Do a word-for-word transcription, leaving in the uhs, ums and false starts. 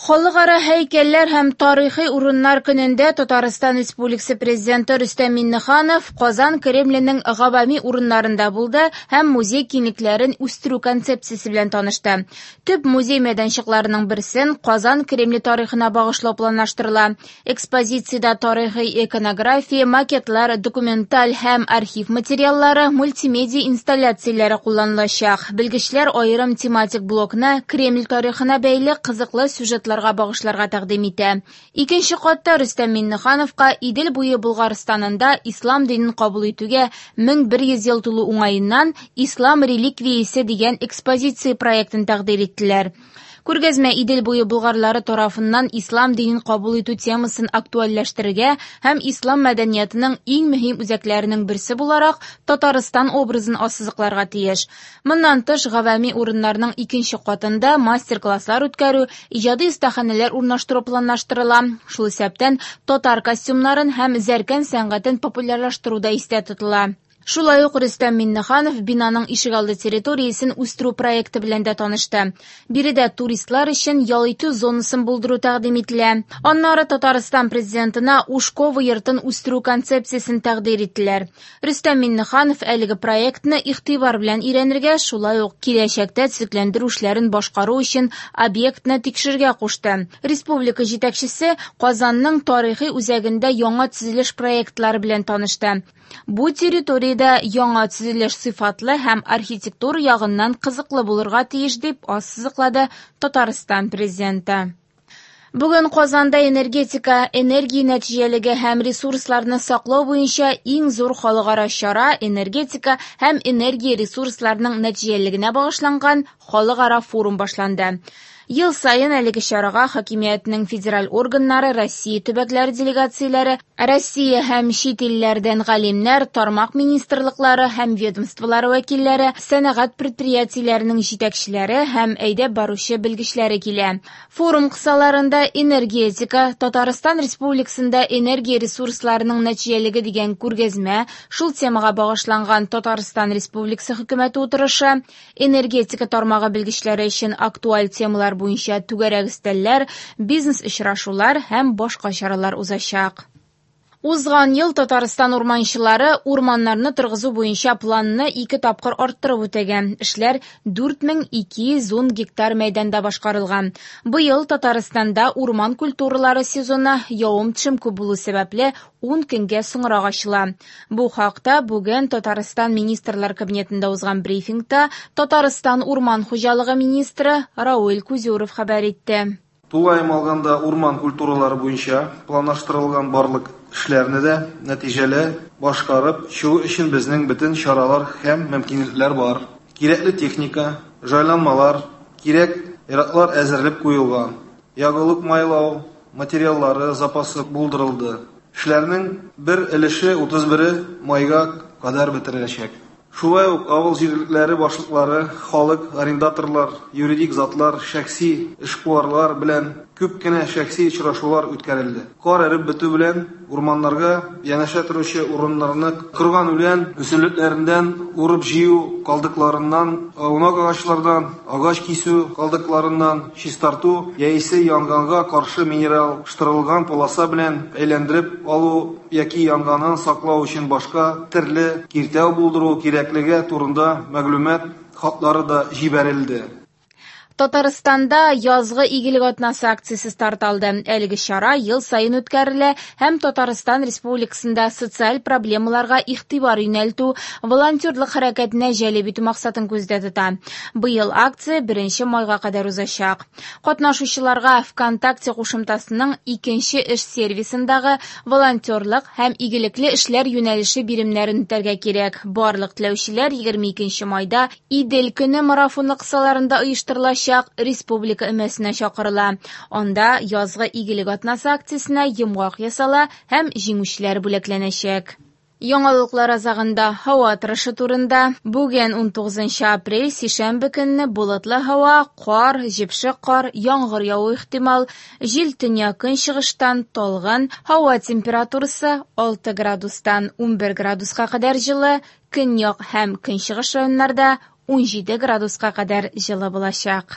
Халыкара һәйкәлләр һәм тарихи урыннар көнендә Татарстан Республикасы Президенты Рөстәм Миңнеханов Казан Кремленең гавами урыннарында булды һәм музей киңлекләрен үстерү концепциясе белән танышты. Төп музей мәйданчыкларының берсен Казан Кремле тарихына багышлау планлаштырыла. Экспозициядә тарихи иконография, макетлар, документаль һәм архив материаллары, мультимедиа инсталляцияләре кулланылачак. Белгечләр аерым тематик блокны Кремль тарихына бәйле кызыклы сюжетлар багышларга тәкъдим итә. Икенче катта Рөстәм Миңнехановка Идел буе Болгарстанында ислам динен кабул итүгә мең бер йөз ел тулу уңаеннан Ислам реликвиясе дигән экспозиция проектын тәкъдир иттеләр. Күргәзмә Идел буе болгарлары тарафыннан ислам динен кабул итү темасын актуальләштерергә һәм ислам мәдәниятының иң мөһим үзәкләренең берсе буларак Татарстан образын ассызыкларга тиеш. Моннан тыш, гавами урыннарның икенче катында мастер-класслар үткәрү, иҗади остаханәләр урнаштыру планлаштырыла. Шул исәптән татар костюмнарын һәм зәркән сәнгатен популярлаштыру да истә тотыла. Шулай ук Рөстәм Миңнеханов бинаның ишегалды территориясен үстерү проекты белән дә танышты. Биредә туристлар өчен ял итү зонасын булдыру тәкъдим ителә. Аннары Татарстан президентына Ушкова йортын үстерү концепциясен тәкъдир иттеләр. Рөстәм Миңнеханов әлеге проектны игътибар белән өйрәнергә, шулай ук киләчәктә төзекләндерү эшләрен башкару өчен объектны тикшерергә кушты. Республика җитәкчесе Казанның тарихи үзәгендә яңа төзелеш проектлары белән танышты. Бу территориядә яңа төзелеш сыйфатлы һәм архитектура ягыннан кызыклы булырга тиеш, дип ассызыклады Татарстан президенты. Бүген Казанда энергетика, энергия нәтиҗәлеге һәм ресурсларны саклау буенча иң зур халыкара чара энергетика һәм энергия ресурсларының нәтиҗәлелегенә багышланган халыкара форум башланды. Ел саен әлеге чарага хакимиятнең федераль органнары, Россия төбәкләре делегацияләре, Россия һәм чит илләрдән галимнәр, тармак министрлыклары һәм ведомстволары вәкилләре, сәнәгать предприятиеләренең җитәкчеләре һәм әйдәп баручы белгечләре килә. Форум кысаларында энергетика, Татарстан Республикасында энергия ресурсларының нәтиҗәлелеге дигән күргәзмә, шул темага багышланган Татарстан Республикасы хөкүмәте утырышы, энергетика тармагы белгечләре өчен актуаль темалар буенча түгәрәк өстәлләр, бизнес очрашулар һәм башка чаралар узачак. Узган ел Татарстан урманчылары урманнарны торгызу буенча планны ике тапкыр арттырып үтәгән. Эшләр дүрт мең ике йөз ун гектар мәйданда башкарылган. Быел Татарстанда урман культуралары сезоны явым-төшем күп булу сәбәпле ун көнгә соңрак ачыла. Бу хакта бүген Татарстан Министрлар Кабинетында узган брифингта Татарстан урман хуҗалыгы министры Равил Кузюров хәбәр итте. Тулаем алганда урман культуралары буенча планлаштырылган барлык эшләрне дә нәтиҗәле башкарып чыгу өчен безнең бөтен чаралар һәм мөмкинлекләр бар. Кирәкле техника, җайланмалар, кирәк яраклар әзерләп куелган. Ягулык майлау материаллары запасы булдырылды. Эшләрнең бер өлеше утыз бере майга кадәр бетереләчәк. Шулай ук авыл җирлекләре башлыклары, халык, арендаторлар, юридик затлар, шәхси эшкуарлар белән күп кенә шәхси очрашулар үткәрелде. Кар эреп бетү белән урманнарга янәшә торучы урыннарны корган үлән үсемлекләреннән урып җыю калдыкларыннан, аунак агачлардан, агач кисү калдыкларыннан чистарту яисә янгынга каршы минераллаштырылган полоса белән әйләндереп алу яки янгыннан саклау өчен башка төрле киртәү булдыру кирәклеге турында мәгълүмат хатлары да җибәрелде. Татарстанда язгы игелек атнасы акциясе старт алды. Әлеге чара ел саен үткәрелә һәм Татарстан Республикасында социаль проблемаларга игътибар юнәлтү, волонтерлык хәрәкәтенә җәлеп итү максатын күздә тота. Быел акция беренче майга кадәр узачак. Катнашучыларга ВКонтакте кушымтасының икенче эш сервисындагы волонтерлык һәм игелекле эшләр юнәлеше биремнәрен үтәргә кирәк. Барлык теләүчеләр егерме икенче майда Идел көне марафоны кысаларында оештырылачак республика өмәсенә чакырыла. Анда язгы игелек атнасы акциясенә йомгак ясала һәм җиңүчеләр бүләкләнәчәк. Яңалыклар азагында һава торышы турында. Бүген ун тугызынчы апрель, сишәмбе көнне болытлы һава, кар, җепшек кар, яңгыр яву ихтимал, җил төньяк көнчыгыштан талгын, һава температурасы алты градустан унбер градуска кадәр җылы, көньяк һәм көнчыгыш районнарда ун җиде градуска кадәр җылы булачак.